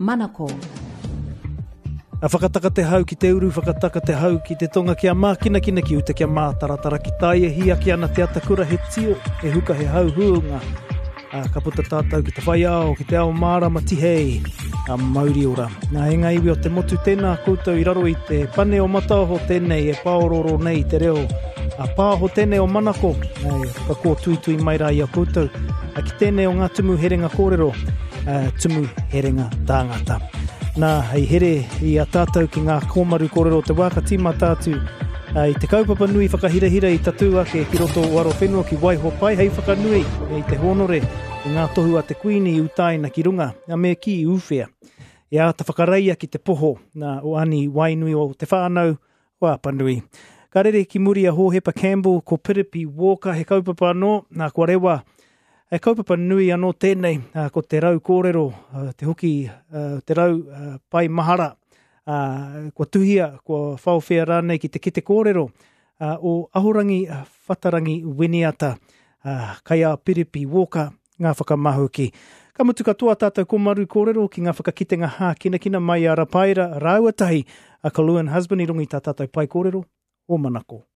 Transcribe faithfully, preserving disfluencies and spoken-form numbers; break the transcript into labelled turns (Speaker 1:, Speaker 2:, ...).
Speaker 1: Manako.
Speaker 2: A whakataka te hau ki te uru, whakataka te hau ki te tonga kia mākinakina ki uta kia mātaratara ki tai e hīaki ana te atakura he tio, he huka he hau huunga. A, ka puta tātou ki te whai ao, ki te ao mārama tihei, a mauri ora. Nā e ngā iwi o te motu tēnā koutou i raro i te pane o Mataoho tēnei e pāororo nei te reo. A pāho tēnei o Manako, e whakakōtuitui mai rā i a koutou, a ki tēnei o ngā tumu herenga kōrero, a, tumu herenga tāngata. Nā, hei here i a tātou ki ngā kōmaru kōrero o te wā ka tīmata atu a, i te kaupapa nui whakahirahira i tatū ake ki roto o Arowhenua ki Waihopai hei whakanui i te hōnore i ngā tohu a te Kuini i utaina ki runga, a me ki i uwhea. E āta whakareia ki te poho nā, o Ani Wainui o te whānau o Apanui. Ka rere ki muri a Hōhepa Campbell ko Piripi Walker he kaupapa anō, nā kua rewa He kaupapa nui anō tēnei, ko te rau kōrero, te hoki, te rau pai mahara, kua tuhia, kua whaowhea rānei ki te kete kōrero o Ahorangi Whatarangi Winiata, kai a Piripi Walker, ngā whakamahuki. Ka mutu katoa tātou komaru kōrero ki ngā whakakitenga hākinakina mai a Rapaira rāua tahi a Kaluan Husband i runga i tā tātou pai kōrero o Manako.